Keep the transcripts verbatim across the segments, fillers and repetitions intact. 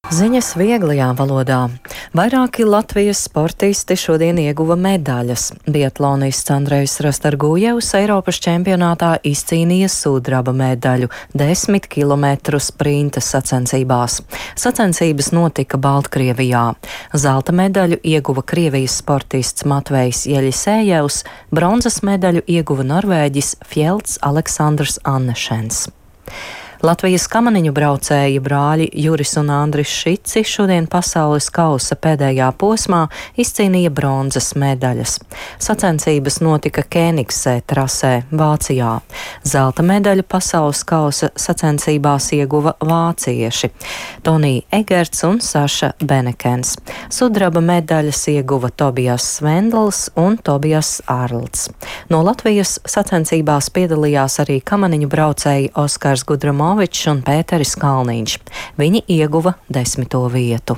Ziņas vieglajā valodā. Vairāki Latvijas sportisti šodien ieguva medaļas. Biatlonists Andrejs Rastargujevs Eiropas čempionātā izcīnīja sudraba medaļu desmit kilometru sprinta sacensībās. Sacensības notika Baltkrievijā. Zelta medaļu ieguva Krievijas sportists Matvejs Jeļisējevs, bronzas medaļu ieguva Norvēģis Fjelds Aleksandrs Annešens. Latvijas kamaniņu braucēji brāļi Juris un Andris Šici šodien pasaules kausa pēdējā posmā izcīnīja bronzas medaļas. Sacensības notika Kēnigsē trasē, Vācijā. Zelta medaļu pasaules kausa sacensībās ieguva vācieši Tonija Egerts un Saša Benekens. Sudraba medaļas ieguva Tobijas Svendls un Tobijas Ārlds. No Latvijas sacensībās piedalījās arī kamaniņu braucēji Oskars Gudramo un Pēteris Kalniņš. Viņi ieguva desmito vietu.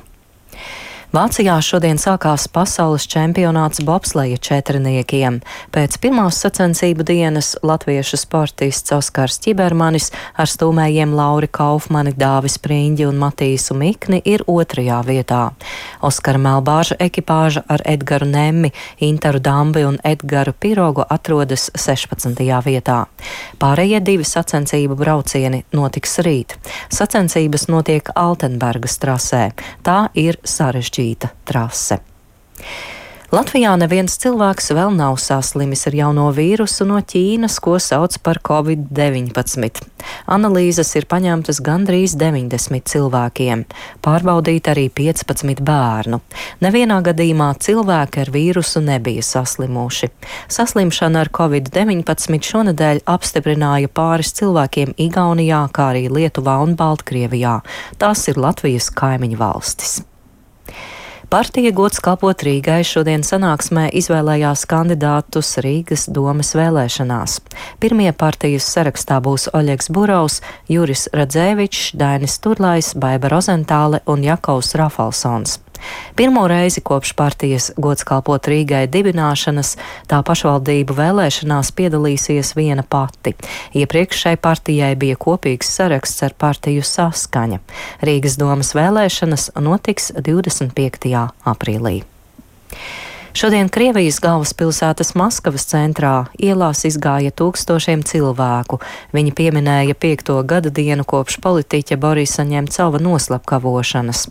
Vācijā šodien sākās pasaules čempionāts bobsleja četrniekiem. Pēc pirmās sacensību dienas latviešu sportists Oskars Ķibermanis ar stūmējiem Lauri Kaufmani, Dāvis Priņģi un Matīsu Mikni ir otrajā vietā. Oskara Melbāža ekipāža ar Edgaru Nemmi, Intaru Dambi un Edgaru Pirogu atrodas sešpadsmitajā vietā. Pārējie divi sacensību braucieni notiks rīt. Sacensības notiek Altenbergas trasē. Tā ir sarežģīta trase. Latvijā neviens cilvēks vēl nav saslimis ar jauno vīrusu no Ķīnas, ko sauc par covid deviņpadsmit. Analīzes ir paņemtas gandrīz deviņdesmit cilvēkiem. Pārbaudīt arī piecpadsmit bērnu. Nevienā gadījumā cilvēki ar vīrusu nebija saslimuši. Saslimšana ar covid deviņpadsmit šonedēļ apstiprināja pāris cilvēkiem Igaunijā, kā arī Lietuvā un Baltkrievijā. Tās ir Latvijas kaimiņu valstis. Partija Gods kalpot Rīgai šodien sanāksmē izvēlējās kandidātus Rīgas domes vēlēšanās. Pirmie partijas sarakstā būs Oļegs Burovs, Juris Radzēvičs, Dainis Turlais, Baiba Rozentāle un Jakovs Rafalsons. Pirmo reizi kopš partijas Gods kalpot Rīgai dibināšanas tā pašvaldību vēlēšanās piedalīsies viena pati. Iepriekš šai partijai bija kopīgs saraksts ar partiju Saskaņa. Rīgas domas vēlēšanas notiks divdesmit piektajā aprīlī. Šodien Krievijas galvaspilsētas Maskavas centrā ielās izgāja tūkstošiem cilvēku. Viņi pieminēja piekto gada dienu kopš politiķa Borisa Ņemcova noslepkavošanas.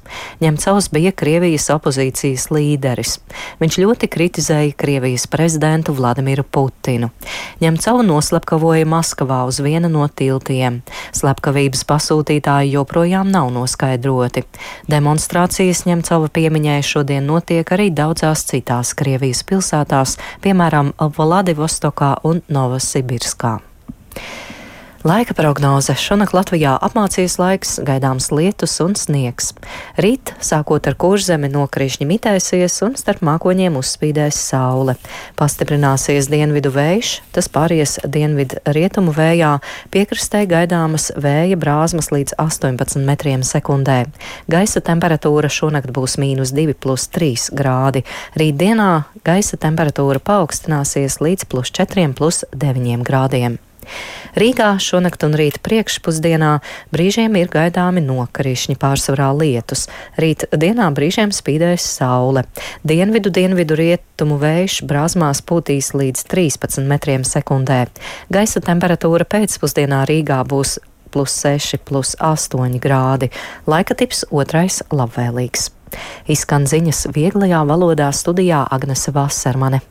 Ņemcovs bija Krievijas opozīcijas līderis. Viņš ļoti kritizēja Krievijas prezidentu Vladimiru Putinu. Ņemcovu noslepkavoja Maskavā uz viena no tiltiem. Slepkavības pasūtītāji joprojām nav noskaidroti. Demonstrācijas Ņemcova piemiņai šodien notiek arī daudzās citās Krievijas pilsētās, piemēram, Vladivostokā un Novosibirskā. Laika prognoze. Šonakt Latvijā apmācies laiks, gaidāms lietus un sniegs. Rīt, sākot ar Kurzemi, nokrišņi mitēsies un starp mākoņiem uzspīdēs saule. Pastiprināsies dienvidu vējš, tas pāries dienvidu rietumu vējā, piekrastē gaidāmas vēja brāzmas līdz astoņpadsmit metriem sekundē. Gaisa temperatūra šonakt būs mīnus divi plus trīs grādi. Rīt dienā gaisa temperatūra paaugstināsies līdz plus četriem plus deviņiem grādiem. Rīgā šonakt un rīt priekšpusdienā brīžiem ir gaidāmi nokrišņi, pārsvarā lietus. Rīt dienā brīžiem spīdēs saule. Dienvidu dienvidu rietumu vējš brāzmās pūtīs līdz trīspadsmit metriem sekundē. Gaisa temperatūra pēcpusdienā Rīgā būs plus seši plus astoņi grādi. Laika tips otrais labvēlīgs. Izskan ziņas vieglajā valodā, studijā Agnese Vasermane.